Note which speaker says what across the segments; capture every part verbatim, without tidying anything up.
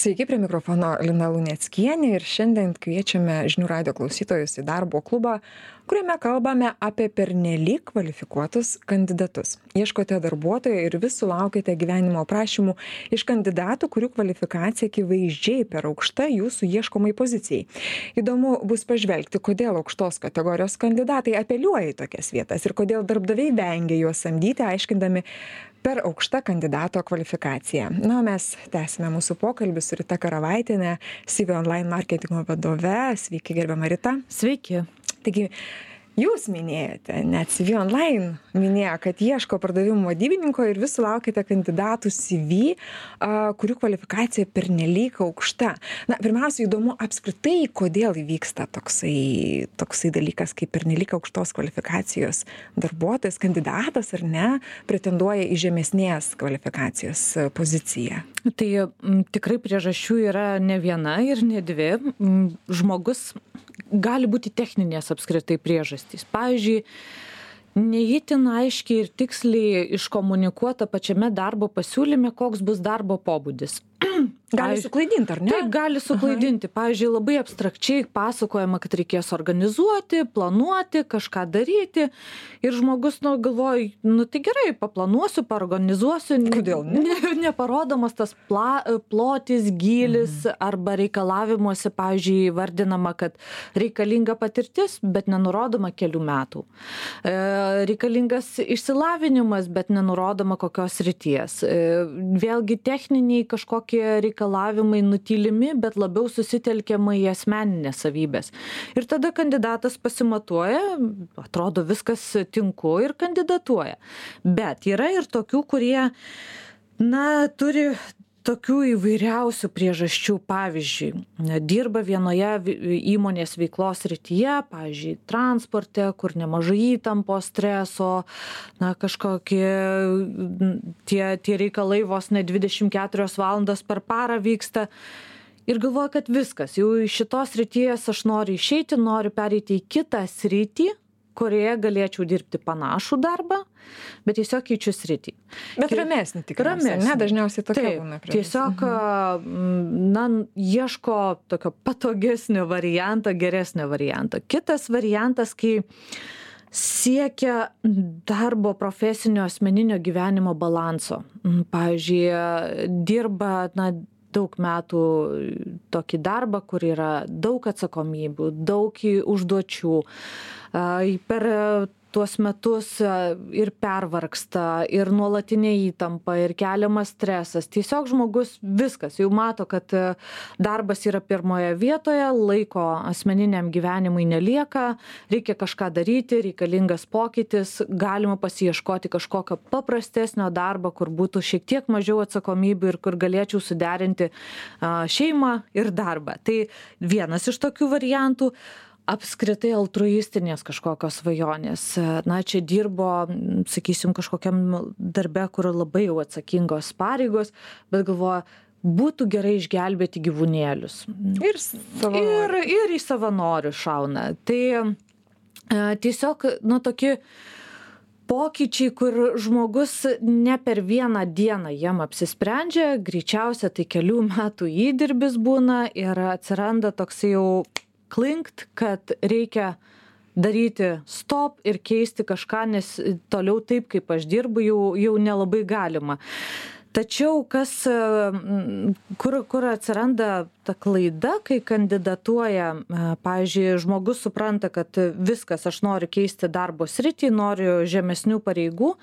Speaker 1: Sveiki, prie mikrofono Lina Luneckienė ir šiandien kviečiame žinių radijo klausytojus į darbo klubą, kuriame kalbame apie pernelyg kvalifikuotus kandidatus. Ieškote darbuotojo ir vis sulaukite gyvenimo aprašymų iš kandidatų, kurių kvalifikacija akivaizdžiai per aukšta jūsų ieškomai pozicijai. Įdomu bus pažvelgti, kodėl aukštos kategorijos kandidatai apeliuoja į tokias vietas ir kodėl darbdaviai vengia juos samdyti, aiškindami per aukštą kandidato kvalifikaciją. Na, mes tęsime mūsų pokalbį su Rita Karavaitienė, C V Online marketingo vadove. Sveiki, gerbiama Rita.
Speaker 2: Sveiki.
Speaker 1: Taigi, jūs minėjote, net C V Online minėjo, kad ieško pardavimų vadybininko ir vis sulaukite kandidatų C V, a, kurių kvalifikacija pernelyg aukšta. Na, pirmiausia, įdomu apskritai, kodėl įvyksta toksai, toksai dalykas, kaip pernelyg aukštos kvalifikacijos darbuotojas, kandidatas ar ne, pretenduoja į žemesnės kvalifikacijos poziciją.
Speaker 2: Tai m, tikrai priežasčių yra ne viena ir ne dvi. M, žmogus gali būti techninės apskritai priežastys. Pavyzdžiui, neįtin aiškiai ir tiksliai iškomunikuota pačiame darbo pasiūlyme, koks bus darbo pobūdis.
Speaker 1: Gali suklaidinti, ar ne?
Speaker 2: Taip, gali suklaidinti. Pavyzdžiui, labai abstrakčiai pasakojama, kad reikės organizuoti, planuoti, kažką daryti. Ir žmogus, nu, galvoja, nu, tai gerai, paplanuosiu, paorganizuosiu.
Speaker 1: Kodėl ne?
Speaker 2: Ne, neparodomas tas pla, plotis, gylis, mhm. arba reikalavimuose, pavyzdžiui, vardinama, kad reikalinga patirtis, bet nenurodoma kelių metų. E, reikalingas išsilavinimas, bet nenurodoma kokios srities. E, vėlgi techniniai kažkokie reikalavimai nutylimi, bet labiau susitelkiama į asmeninės savybės. Ir tada kandidatas pasimatuoja, atrodo viskas tinku ir kandidatuoja. Bet yra ir tokių, kurie, na, turi tokių įvairiausių priežasčių. Pavyzdžiui, dirba vienoje įmonės veiklos srityje, pavyzdžiui, transporte, kur nemažai įtampos, streso, na, kažkokie tie, tie reikalai vos ne dvidešimt keturias valandas per parą vyksta. Ir galvoja, kad viskas, jau iš šitos srities aš noriu išeiti, noriu pereiti į kitą sritį, kurioje galėčiau dirbti panašų darbą, bet tiesiog keičiu sritį.
Speaker 1: Bet ramesnį tikriausiai, ne? Dažniausiai tokia būna priežastis.
Speaker 2: Tiesiog, na, ieško tokio patogesnio varianto, geresnio varianto. Kitas variantas, kai siekia darbo profesinio asmeninio gyvenimo balanso. Pavyzdžiui, dirba, na, daug metų tokį darbą, kur yra daug atsakomybių, daug užduočių. Per tuos metus ir pervargsta, ir nuolatinė įtampa, ir keliamas stresas. Tiesiog žmogus viskas, jau mato, kad darbas yra pirmoje vietoje, laiko asmeniniam gyvenimui nelieka, reikia kažką daryti, reikalingas pokytis, galima pasiieškoti kažkokio paprastesnio darbo, kur būtų šiek tiek mažiau atsakomybių ir kur galėčiau suderinti šeimą ir darbą. Tai vienas iš tokių variantų. Apskritai altruistinės kažkokios svajonės. Na, čia dirbo, sakysim, kažkokiam darbe, kur labai jau atsakingos pareigos, bet galvoja, būtų gerai išgelbėti gyvūnėlius.
Speaker 1: Ir,
Speaker 2: ir, ir į savanorių šauna. Tai e, tiesiog, nu, tokie pokyčiai, kur žmogus ne per vieną dieną jam apsisprendžia, greičiausia tai kelių metų įdirbis būna ir atsiranda toks jau klinkt, kad reikia daryti stop ir keisti kažką, nes toliau taip, kaip aš dirbu, jau, jau nelabai galima. Tačiau kas, kur, kur atsiranda ta klaida, kai kandidatuoja, pavyzdžiui, žmogus supranta, kad viskas, aš noriu keisti darbo sritį, noriu žemesnių pareigų,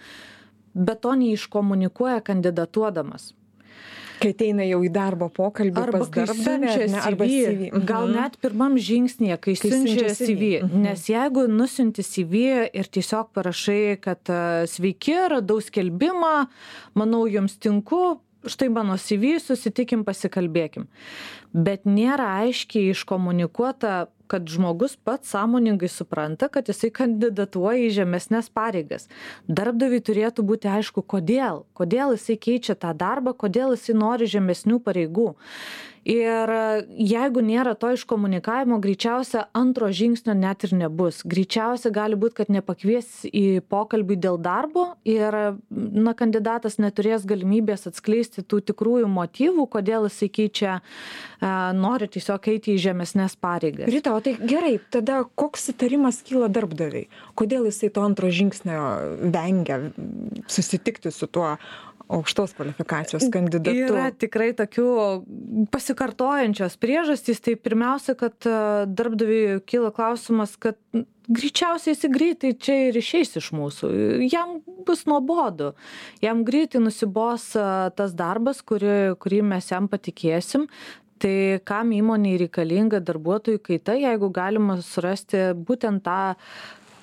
Speaker 2: bet to neiškomunikuoja kandidatuodamas.
Speaker 1: Kai ateina jau į darbo pokalbį
Speaker 2: arba
Speaker 1: pas darbdavį,
Speaker 2: arba C V, gal net pirmam žingsnėje, kai, kai siunčia C V, nes jeigu nusiunti C V ir tiesiog parašai, kad sveiki, radau skelbimą, manau jums tinku, štai mano C V, susitikim, pasikalbėkim. Bet nėra aiškiai iškomunikuota, kad žmogus pats sąmoningai supranta, kad jisai kandidatuoja į žemesnės pareigas. Darbdaviui turėtų būti aišku, kodėl. Kodėl jisai keičia tą darbą, kodėl jisai nori žemesnių pareigų. Ir jeigu nėra to iškomunikavimo, greičiausia antro žingsnio net ir nebus. Greičiausia gali būti, kad nepakvies į pokalbį dėl darbo ir na, kandidatas neturės galimybės atskleisti tų tikrųjų motyvų, kodėl jisai keičia, nori tiesiog eiti į žemesnės pareigas.
Speaker 1: Rita, o tai gerai, tada koks įtarimas kyla darbdaviai? Kodėl jisai to antro žingsnio vengia susitikti su tuo aukštos kvalifikacijos kandidatu?
Speaker 2: Yra tikrai tokių pasikartojančios priežastys. Tai pirmiausia, kad darbdaviui kyla klausimas, kad greičiausiai jis greitai čia ir išeis iš mūsų. Jam bus nuobodu. Jam greitai nusibos tas darbas, kurį, kurį mes jam patikėsim. Tai kam įmonei reikalinga darbuotojų kaita, jeigu galima surasti būtent tą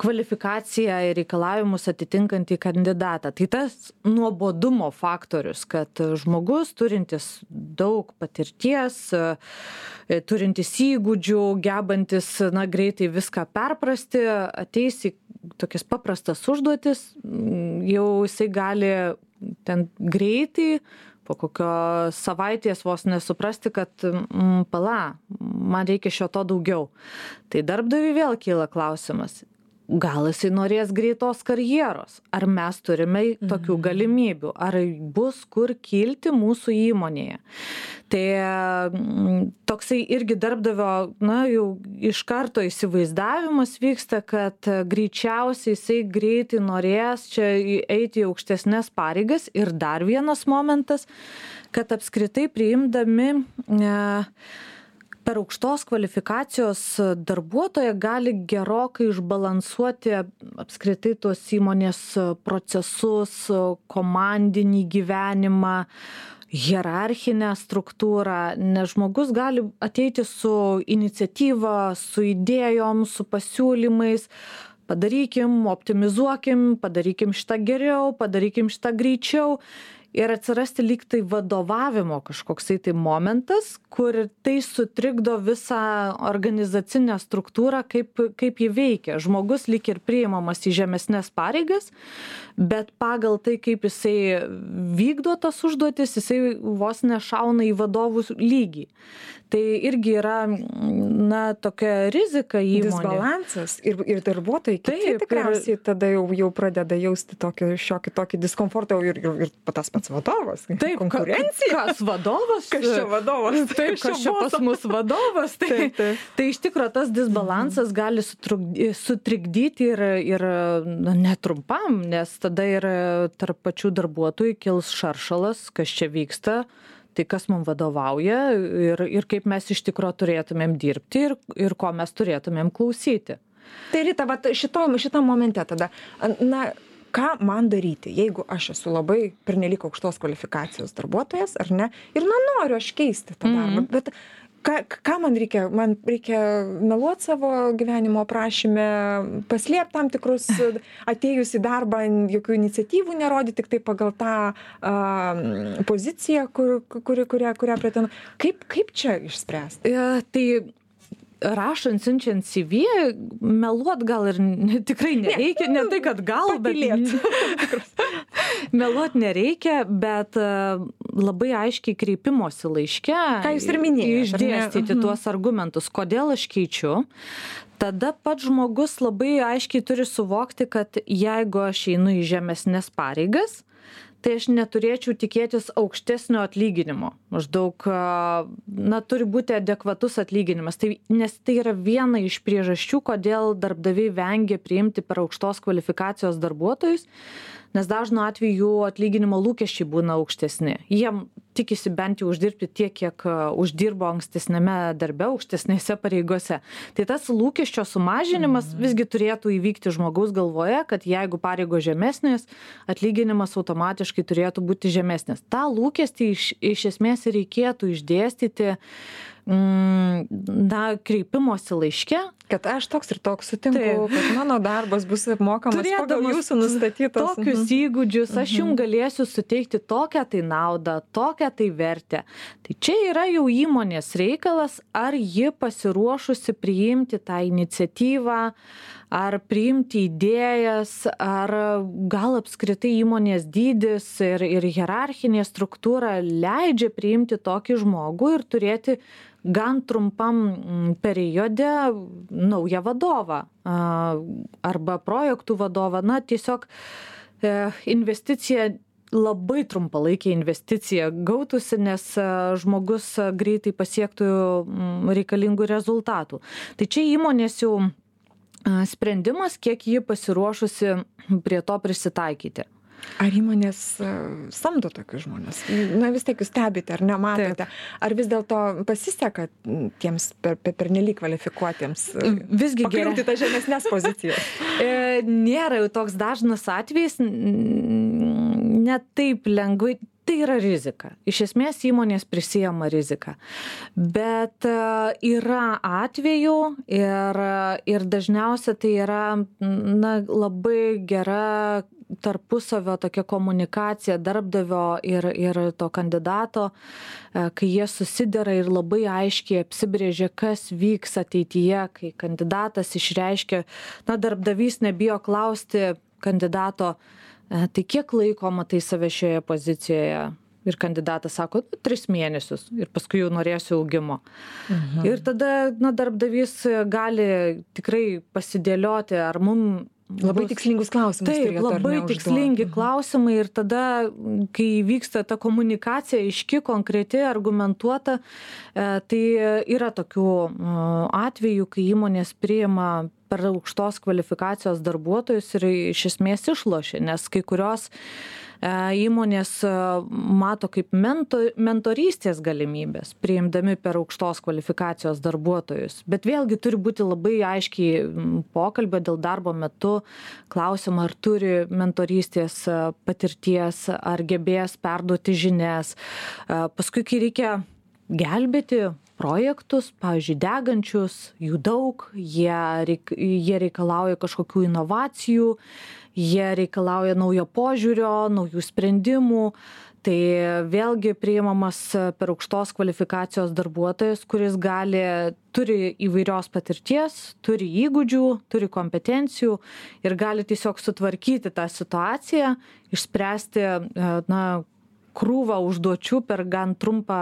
Speaker 2: kvalifikaciją ir reikalavimus atitinkantį kandidatą. Tai tas nuobodumo faktorius, kad žmogus turintis daug patirties, turintis įgūdžių, gebantis na, greitai viską perprasti, ateis į tokias paprastas užduotis, jau jisai gali ten greitai po kokio savaitės vos nesuprasti, kad mm, pala, man reikia šio to daugiau. Tai darbdaviui vėl kyla klausimas. Gal jisai norės greitos karjeros? Ar mes turime tokių galimybių? Ar bus kur kilti mūsų įmonėje? Tai toksai irgi darbdavio, na, jau iš karto įsivaizdavimas vyksta, kad greičiausiai jisai greitai norės čia eiti į aukštesnės pareigas. Ir dar vienas momentas, kad apskritai priimdami ne, per aukštos kvalifikacijos darbuotoją gali gerokai išbalansuoti apskritai tos įmonės procesus, komandinį gyvenimą, hierarchinę struktūrą, nes žmogus gali ateiti su iniciatyva, su idėjom, su pasiūlymais, padarykim, optimizuokim, padarykim šitą geriau, padarykim šitą greičiau. Ir atsirasti lyg tai vadovavimo kažkoksai tai momentas, kur tai sutrikdo visą organizacinę struktūrą, kaip, kaip jį veikia. Žmogus lyg ir priimamas į žemesnės pareigas, bet pagal tai, kaip jisai vykdo tas užduotis, jisai vos nešauna į vadovų lygį. Tai irgi yra, na, tokia rizika įmonė.
Speaker 1: Disbalansas ir, ir darbuotojai kiti tikriausiai ir tada jau, jau pradeda jausti tokį šiokį tokį diskomfortą ir, ir, ir tas pats vadovas.
Speaker 2: Taip, konkurencija. Kas vadovas?
Speaker 1: Kas čia vadovas?
Speaker 2: Taip, kas čia pas mus vadovas? Tai, taip, taip. Tai iš tikrųjų tas disbalansas gali sutrikdyti ir, ir netrumpam, nes tada ir tarp pačių darbuotojų kils šaršalas, kas čia vyksta. Tai kas mums vadovauja ir, ir kaip mes iš tikrųjų turėtumėm dirbti ir, ir ko mes turėtumėm klausyti.
Speaker 1: Tai Rita, vat šitom, šitam momente tada, na, ką man daryti, jeigu aš esu labai pernelyg aukštos kvalifikacijos darbuotojas, ar ne, ir na, noriu aš keisti tą darbą, mm-hmm. bet ką, ką man reikia? Man reikia meluoti savo gyvenimo aprašyme, paslėpti tam tikrus, atėjus į darbą, jokių iniciatyvų nerodyti, tik tai pagal tą uh, poziciją, kur, kuri, kurią, kurią pretenduoju. Kaip, kaip čia išspręsti?
Speaker 2: Ja, tai rašant, siunčiant C V, meluot gal ir ne, tikrai nereikia, ne, ne tai, kad gal,
Speaker 1: Patylėt.
Speaker 2: bet meluot nereikia, bet labai aiškiai kreipimosi laiške,
Speaker 1: ką jūs ir minėjote,
Speaker 2: išdėstyti tuos argumentus, kodėl aš keičiu. Tada pats žmogus labai aiškiai turi suvokti, kad jeigu aš einu į žemesnės pareigas, tai aš neturėčiau tikėtis aukštesnio atlyginimo. Maždaug, na, turi būti adekvatus atlyginimas. Tai, nes tai yra viena iš priežasčių, kodėl darbdaviai vengia priimti per aukštos kvalifikacijos darbuotojus, nes dažnu atveju jų atlyginimo lūkesčiai būna aukštesni. Jiem tikisi bent jau uždirbti tiek, kiek uždirbo ankstesnėme darbe, aukštesnėse pareigose. Tai tas lūkesčio sumažinimas mm. visgi turėtų įvykti žmogaus galvoje, kad jeigu pareigos žemesnės, atlyginimas automatiškai turėtų būti žemesnis. Ta lūkestį iš, iš esmės reikėtų išdėstyti na, kreipimosi laiške.
Speaker 1: Kad aš toks ir toks sutinku, taip, kad mano darbas bus apmokamas pagal jūsų nustatytos.
Speaker 2: Tokius uh-huh. įgūdžius, aš jums galėsiu suteikti tokią tai naudą, tokią tai vertę. Tai čia yra jau įmonės reikalas, ar ji pasiruošusi priimti tą iniciatyvą, ar priimti idėjas, ar gal apskritai įmonės dydis ir, ir hierarchinė struktūra leidžia priimti tokį žmogų ir turėti gan trumpam periode naują vadovą arba projektų vadovą. Na, tiesiog investicija, labai trumpalaikė investicija gautųsi, nes žmogus greitai pasiektų reikalingų rezultatų. Tai čia įmonės jau sprendimas, kiek ji pasiruošusi prie to prisitaikyti.
Speaker 1: Ar įmonės samdo tokius žmonės? Na, vis tiek jūs stebite, ar nematote? Taip. Ar vis dėlto pasiseka tiems per, per, per nelyg kvalifikuotiems
Speaker 2: visgi
Speaker 1: pakliūti tą žemesnės pozicijas?
Speaker 2: Nėra jau toks dažnas atvejis, net taip lengvai. Tai yra rizika. Iš esmės įmonės prisijama riziką. Bet yra atvejų ir, ir dažniausia tai yra na, labai gera tarpusavio tokia komunikacija darbdavio ir, ir to kandidato, kai jie susidera ir labai aiškiai apsibrėžia, kas vyks ateityje, kai kandidatas išreiškia, na, darbdavys nebijo klausti kandidato, tai kiek laiko matai save šioje pozicijoje? Ir kandidatas sako, tris mėnesius ir paskui jau norėsiu augimo. Mhm. Ir tada na, darbdavys gali tikrai pasidėlioti, ar mums
Speaker 1: labai bus... tikslingus klausimus.
Speaker 2: Taip, labai tikslingi klausimai ir tada, kai vyksta ta komunikacija aiški, konkreti, argumentuota, tai yra tokių atvejų, kai įmonės priima per aukštos kvalifikacijos darbuotojus ir iš esmės išlošia, nes kai kurios įmonės mato kaip mento, mentorystės galimybės, priimdami per aukštos kvalifikacijos darbuotojus. Bet vėlgi turi būti labai aiškiai pokalbio dėl darbo metu klausimą, ar turi mentorystės patirties, ar gebės perduoti žinias. Paskui, kai reikia gelbėti projektus, pavyzdžiui, degančius, jų daug, jie, reik, jie reikalauja kažkokių inovacijų, jie reikalauja naujo požiūrio, naujų sprendimų. Tai vėlgi priimamas per aukštos kvalifikacijos darbuotojas, kuris gali, turi įvairios patirties, turi įgūdžių, turi kompetencijų ir gali tiesiog sutvarkyti tą situaciją, išspręsti, na, krūvą užduočių per gan trumpą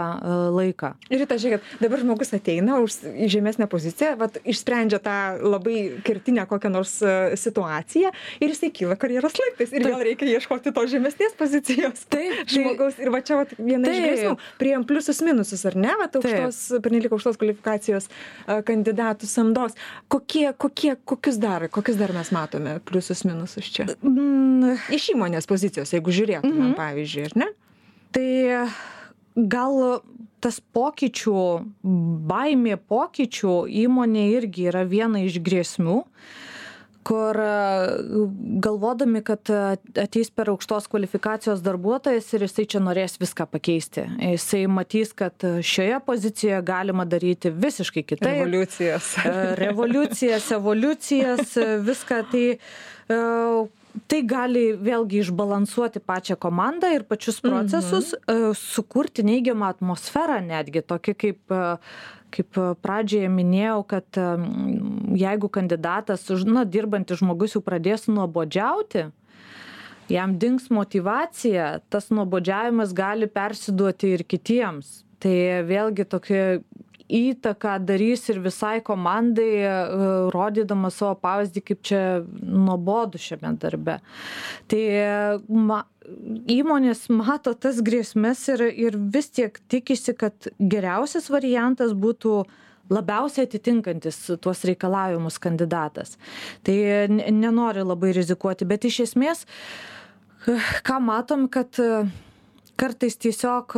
Speaker 2: laiką.
Speaker 1: Ir tai, žiūrėkit, dabar žmogus ateina už, į žemesnę poziciją, vat, išsprendžia tą labai kertinę kokią nors situaciją ir jisai kyla karjeros laiptais ir vėl reikia ieškoti to žemesnės pozicijos.
Speaker 2: Taip,
Speaker 1: žmogaus. Ir va čia vat, viena iš grėsmių. Priėjom pliusus minusus, ar ne? Vat, aukštos, pernelyg aukštos kvalifikacijos kandidatų samdos. Kokie, kokie, kokius dar, kokius dar mes matome pliusus minusus čia? Mm. Iš įmonės pozicijos, jeigu žiūrėtume, mm-hmm. pavyzdžiui, ar ne?
Speaker 2: Tai gal tas pokyčių, baimė pokyčių įmonė irgi yra viena iš grėsmių, kur galvodami, kad ateis per aukštos kvalifikacijos darbuotojas ir jisai čia norės viską pakeisti. Jisai matys, kad šioje pozicijoje galima daryti visiškai kitaip.
Speaker 1: Revoliucijas.
Speaker 2: Revoliucijas, evoliucijas, viską. Tai Tai gali vėlgi išbalansuoti pačią komandą ir pačius procesus, mhm. sukurti neigiamą atmosferą netgi, tokį kaip, kaip pradžioje minėjau, kad jeigu kandidatas, na, dirbantis žmogus jau pradės nuobodžiauti, jam dings motyvacija, tas nuobodžiavimas gali persiduoti ir kitiems. Tai vėlgi tokia įtaką darys ir visai komandai, rodydama savo pavyzdį, kaip čia nuobodu šiame darbe. Tai ma, įmonės mato tas grėsmes ir, ir vis tiek tikisi, kad geriausias variantas būtų labiausiai atitinkantis tuos reikalavimus kandidatas. Tai nenori labai rizikuoti, bet iš esmės, ką matom, kad kartais tiesiog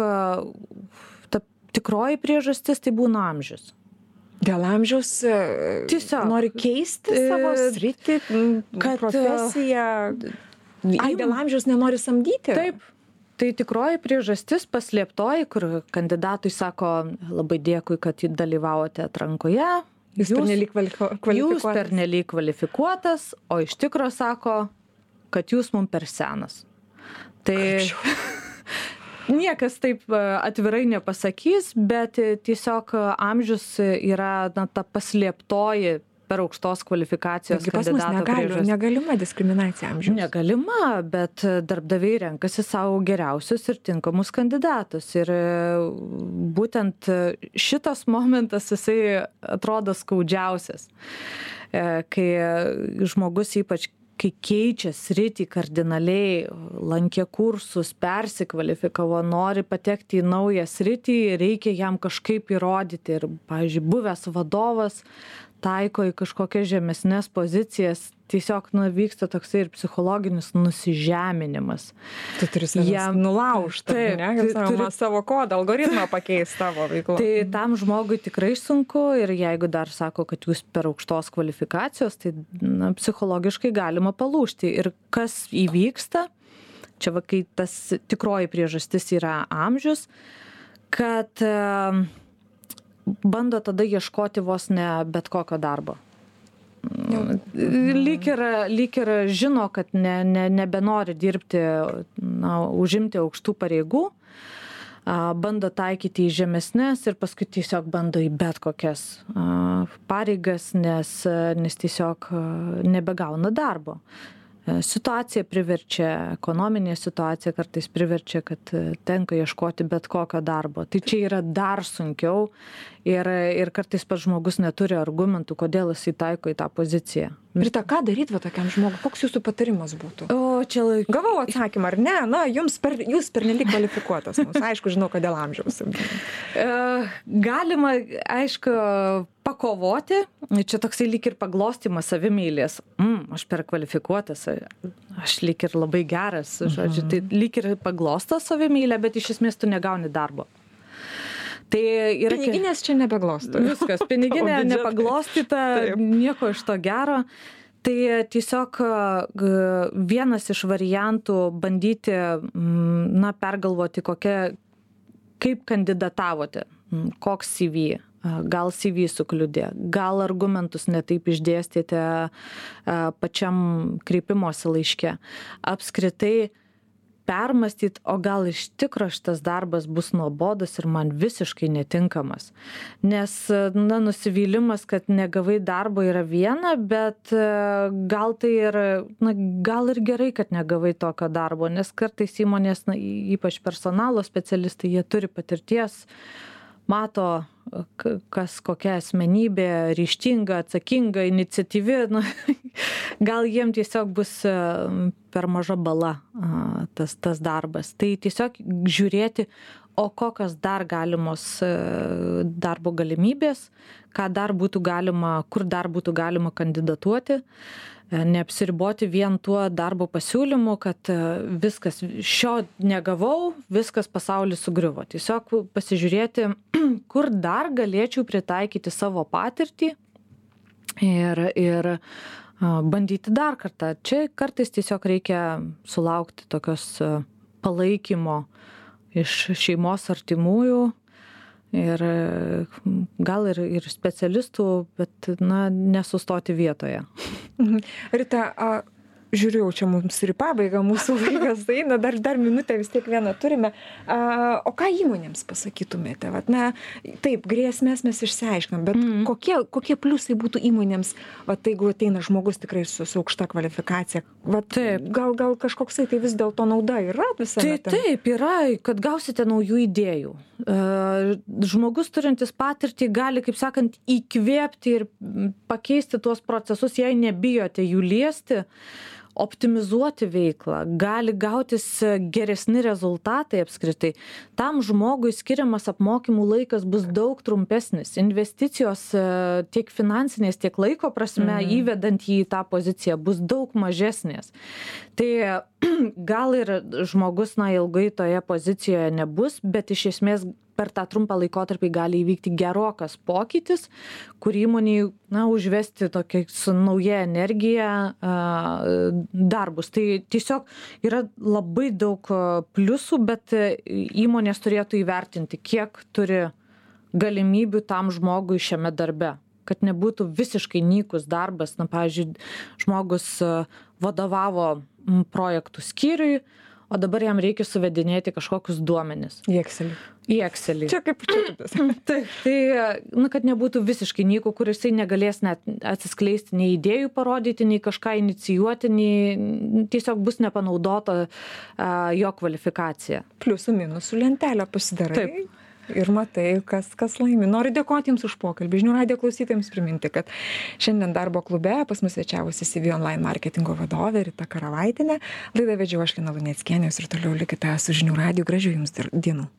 Speaker 2: tikroji priežastis tai būna amžius.
Speaker 1: Dėl amžiaus tiesiog nori keisti savo sritį, kad, profesiją. Ai, dėl amžiaus nenori samdyti?
Speaker 2: Taip. Tai tikroji priežastis paslėptoji, kur kandidatui sako, labai dėkui, kad dalyvavote atrankoje.
Speaker 1: Jūs, jūs pernelyg kvalifikuotas.
Speaker 2: Jūs pernelyg kvalifikuotas, o iš tikro sako, kad jūs mums per senas. Tai... Niekas taip atvirai nepasakys, bet tiesiog amžius yra na, ta paslėptoji per aukštos kvalifikacijos
Speaker 1: Taigi pas mus
Speaker 2: kandidato
Speaker 1: negali,
Speaker 2: priežastis.
Speaker 1: negalima diskriminacija amžiaus.
Speaker 2: Negalima, bet darbdaviai renkasi savo geriausius ir tinkamus kandidatus. Ir būtent šitas momentas jisai atrodo skaudžiausias, kai žmogus ypač kai keičia sritį kardinaliai, lankė kursus, persikvalifikavo, nori patekti į naują sritį, reikia jam kažkaip įrodyti. Ir, pavyzdžiui, buvęs vadovas taiko į kažkokias žemesnes pozicijas, tiesiog nu, vyksta toksai ir psichologinis nusižeminimas.
Speaker 1: Tu turi savęs nulaužti, ne? Kaip turi savo kodą, algoritmą pakeisti tavo veiklą.
Speaker 2: Tai tam žmogui tikrai sunku ir jeigu dar sako, kad jūs per aukštos kvalifikacijos, tai na, psichologiškai galima palūžti. Ir kas įvyksta, čia va, kai tas tikroji priežastis yra amžius, kad e, bando tada ieškoti vos ne bet kokio darbo. Lyg ir, lyg ir žino, kad ne, ne, nebenori dirbti, na, užimti aukštų pareigų, bando taikyti į žemesnes ir paskui tiesiog bando į bet kokias pareigas, nes, nes tiesiog nebegauna darbo. Situacija priverčia, ekonominė situacija kartais priverčia, kad tenka ieškoti bet kokio darbo. Tai čia yra dar sunkiau ir, ir kartais pats žmogus neturi argumentų, kodėl jisai taiko į tą poziciją.
Speaker 1: Rita, ką daryti va tokiam žmogui? Koks jūsų patarimas būtų?
Speaker 2: O, čia laik...
Speaker 1: Gavau atsakymą, ar ne? Na, jums per, jūs pernelyg kvalifikuotas. Mums, aišku, žinau, kad dėl amžiaus.
Speaker 2: Galima, aišku, pakovoti. Čia toksai lyg ir paglostimas savimylės. Mm, aš per kvalifikuotas, aš lyg ir labai geras. Žodžiu, tai lyg ir paglosto savimylę, bet iš esmės tu negauni darbo. Tai yra
Speaker 1: piniginės čia nebeglosto.
Speaker 2: Viskas, piniginė nepaglostyta, nieko iš to gero. Tai tiesiog vienas iš variantų bandyti, na, pergalvoti, kokia, kaip kandidatavote, koks C V, gal C V sukliudė, gal argumentus netaip išdėstėte pačiam kreipimosi laiške. Apskritai permastyti, o gal iš tikro šitas darbas bus nuobodus ir man visiškai netinkamas. Nes, na, nusivylimas, kad negavai darbo yra viena, bet gal tai ir, na, gal ir gerai, kad negavai tokio darbo, nes kartais įmonės, na, ypač personalo specialistai, jie turi patirties, mato, kas kokia asmenybė, ryžtinga, atsakinga, iniciatyvi, nu, gal jiem tiesiog bus per maža bala tas, tas darbas. Tai tiesiog žiūrėti, o kokios dar galimos darbo galimybės, ką dar būtų galima, kur dar būtų galima kandidatuoti. Neapsiriboti vien tuo darbo pasiūlymu, kad viskas, šio negavau, viskas pasaulis sugriuvo. Tiesiog pasižiūrėti, kur dar galėčiau pritaikyti savo patirtį ir, ir bandyti dar kartą. Čia kartais tiesiog reikia sulaukti tokios palaikymo iš šeimos artimųjų ir gal ir, ir specialistų, bet, na, nesustoti vietoje.
Speaker 1: Rita, a, žiūrėjau, čia mums ir į pabaigą mūsų laikas eina, dar, dar minutę vis tiek vieną turime. A, o ką įmonėms pasakytumėte? Vat, na, taip, grėsmės mes išsiaiškinam, bet mm. kokie, kokie pliusai būtų įmonėms, vat, jeigu ateina žmogus tikrai su, su aukšta kvalifikacija? Vat, gal, gal kažkoksai tai vis dėlto nauda yra visame?
Speaker 2: Tai taip, yra, kad gausite naujų idėjų. Žmogus turintis patirtį gali, kaip sakant, įkvėpti ir pakeisti tuos procesus, jei nebijote jų liesti, optimizuoti veiklą, gali gautis geresni rezultatai apskritai. Tam žmogui skiriamas apmokymų laikas bus daug trumpesnis. Investicijos tiek finansinės, tiek laiko prasme, mhm. įvedant jį į tą poziciją, bus daug mažesnės. Tai gal ir žmogus, na, ilgai toje pozicijoje nebus, bet iš esmės per tą trumpą laikotarpį gali įvykti gerokas pokytis, kur įmoniai, na, užvesti tokia su nauja energija darbus. Tai tiesiog yra labai daug pliusų, bet įmonės turėtų įvertinti, kiek turi galimybių tam žmogui šiame darbe, kad nebūtų visiškai nykus darbas. Na, pavyzdžiui, žmogus vadovavo projektų skyriui, o dabar jam reikia suvedinėti kažkokius duomenis.
Speaker 1: Į Excelį.
Speaker 2: Į Excelį.
Speaker 1: Čia kaip čiatas.
Speaker 2: Taip, tai, nu, kad nebūtų visiškai nyku, kur jisai negalės net atsiskleisti, nei idėjų parodyti, nei kažką inicijuoti, nei tiesiog bus nepanaudota uh, jo kvalifikacija.
Speaker 1: Pliusų minusų lentelę pasidarai.
Speaker 2: Taip.
Speaker 1: Ir matai, kas, kas laimi. Noriu dėkoti Jums už pokalbį. Žinių radijo klausytojams priminti, kad šiandien darbo klube pas mus svečiavosi C V Online marketingo vadovė Rita Karavaitienė. Laidą vedžiau aš Lina Luneckienė ir toliau likite su Žinių radiju. Gražių Jums dienų.